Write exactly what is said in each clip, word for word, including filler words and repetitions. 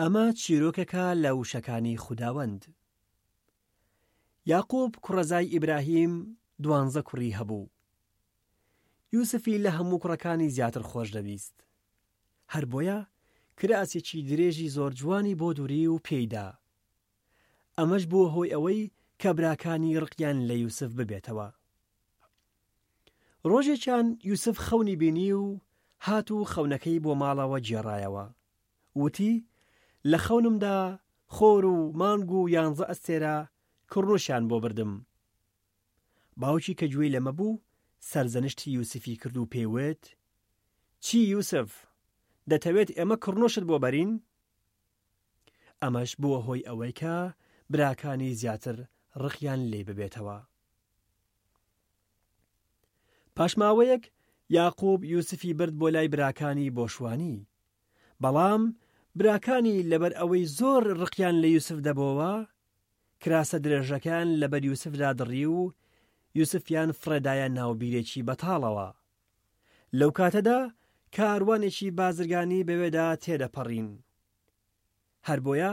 ئەمە چیرۆکێکە لە وشەکانی خوداوەند. یاقوب کوڕەزای ئیبراهیم دوانزە کوڕی هەبوو. یوسفی لە هەموو کوڕەکانی زیاتر خۆش دەویست. هەر بۆیە کراسێکی درێژی زۆر جوانی بۆ دووری و پێیدا. ئەمەش بووە هۆی ئەوەی کە براکانی ڕقیان لە یوسف ببێتەوە. ڕۆژێکیان یوسف خەونی بینی و هات و خەونەکەی بۆ ماڵەوە گێڕایەوە. وتی لە خەونمدا خۆر و مانگ و یانزە ئەستێرە کڕنوشیان بۆ بردم. باوکی کە گوێی لەمە بوو سەرزەنشتی یوسفی کرد و پێیوت چی یوسف، دەتەوێت ئێمە کڕنوشت بۆ بەرین؟ ئەمەش بووە هۆی ئەوەی کە براکانی زیاتر ڕقیان لێ ببێتەوە. پاش ماوەیەک یاقوب یوسفی برد بۆ لای براکانی بۆ شوانی. بەڵام براکانی لەبەر ئەوەی زۆر ڕقیان لە یوسف دەبۆوە، کراسە درێژەکان لەبەر یوسفدا دڕی و یوسفیان فڕێدایە ناو بیرێکی بەتاڵەوە. لەو کاتەدا کاروانێکی بازرگانی بەوێدا تێدەپەڕین. هەر بۆیە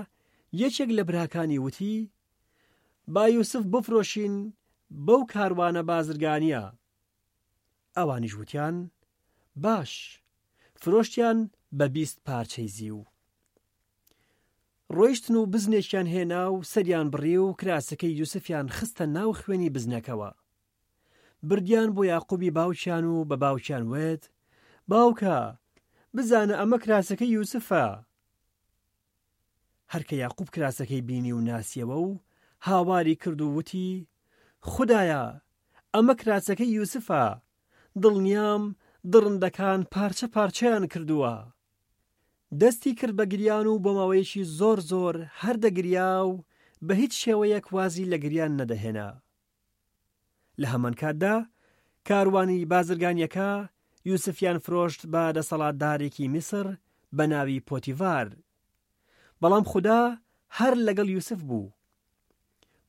یەکێک لە براکانی وتی با یوسف بفرۆشین بەو کاروانە بازرگانیە. ئەوانیش وتیان باش، فرۆشتیان بە بیست پارچەی زیو. ڕۆیشتن و بزنێکیان هێنا و سەریان بڕی و کراسەکەی یوسفیان خستە ناو خوێنی بزنەکەوە. بردیان بۆ یاقوبی باوکیان و بە باوکیان وت باوکە، بزانە ئەمە کراسەکەی یوسفە. هەرکە یاقوب کراسەکەی بینی و ناسیەوە و هاواری کرد و وتی خودایە، ئەمە کراسەکەی یوسفە، دڵنیام دڕندەکان پارچە پارچەیان کردووە. دەستی کرد بە گریان و بۆ ماوەیەکی زۆر زۆر هەر دەگریا و بە هیچ شێوەیەک وازی لە گریان نەدەهێنا. لە هەمان کاتدا کاروانی بازرگانیەکە یوسفیان فرۆشت بە دەسەڵاتدارێکی میسر بە ناوی پۆتیڤار. بەڵام خودا هەر لەگەڵ یوسف بوو.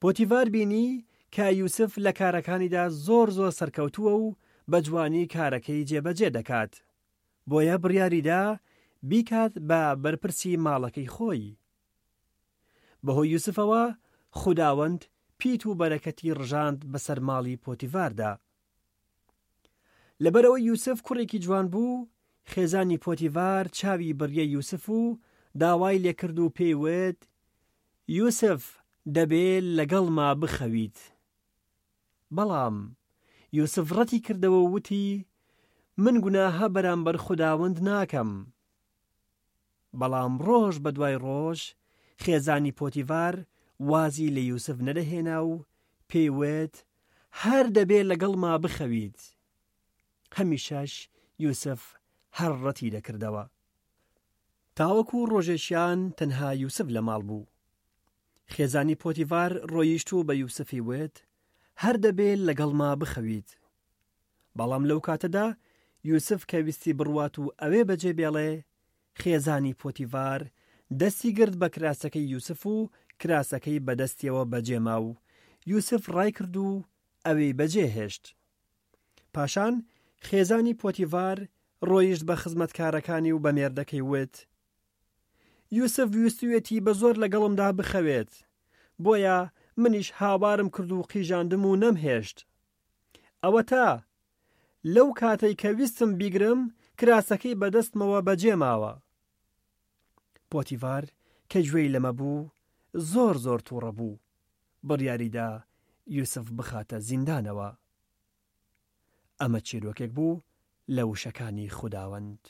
پۆتیڤار بینی کە یوسف لە کارەکانیدا زۆر زۆر سەرکەوتووە و بە جوانی کارەکەی جێبەجێ دەکات. بۆیە بڕیاریدا بیکات بە بەرپرسی ماڵەکەی خۆی. بەهۆی یوسفەوە خوداوەند پیت و بەرەکەتی ڕژاند بەسەر ماڵی پۆتیڤاردا. لەبەرەوەی یوسف کوڕێکی جوان بوو، خێزانی پۆتیڤار چاوی بڕیە یوسف و داوای لێکرد و پێی وت یوسف دەبێ لەگەڵما بخەویت. بەڵام یوسف ڕەتی کردەوە و وتی من گوناهە بەرامبەر خوداوەند ناکەم. بەڵام ڕۆژ بە دوای ڕۆژ خێزانی پۆتیڤار وازی لە یوسف نەدەهێنا و پێی وت هەر دەبێ لەگەڵما بخەویت. هەمیشەش یوسف هەر ڕەتی دەکردەوە. تاوەکو ڕۆژێکیان تەنها یوسف لە ماڵ بوو. خێزانی پۆتیڤار ڕۆیشت و بە یوسفی وت هەر دەبێ لەگەڵما بخەویت. بەڵام لەو کاتەدا یوسف کە ویستی بڕوات و ئەوێ بەجێ بێڵێ، خێزانی پۆتیڤار دەستی گرت بە کراسەکەی یوسف و کراسەکەی بەدەستیەوە بەجێما و یوسف ڕای کرد و ئەوێی بەجێ هێشت. پاشان خێزانی پۆتیڤار ڕۆیشت بە خزمەتکارەکانی و بە مێردەکەی وت یوسف ویستویەتی بە زۆر لەگەڵمدا بخەوێت، بۆیە منیش هاوارم کرد و قیژاندم و نەمهێشت. ئەوەتا لەو کاتەی کە ویستم بیگرم کراسەکەی بەدەستمەوە بەجێ ماوە. پۆتیڤار کە گوێی لەمە بوو زۆر زۆر تووڕە بوو، بڕیاریدا یوسف بخاتە زیندانەوە. ئەمە چیرۆکێک بوو لە وشەکانی خوداوەند.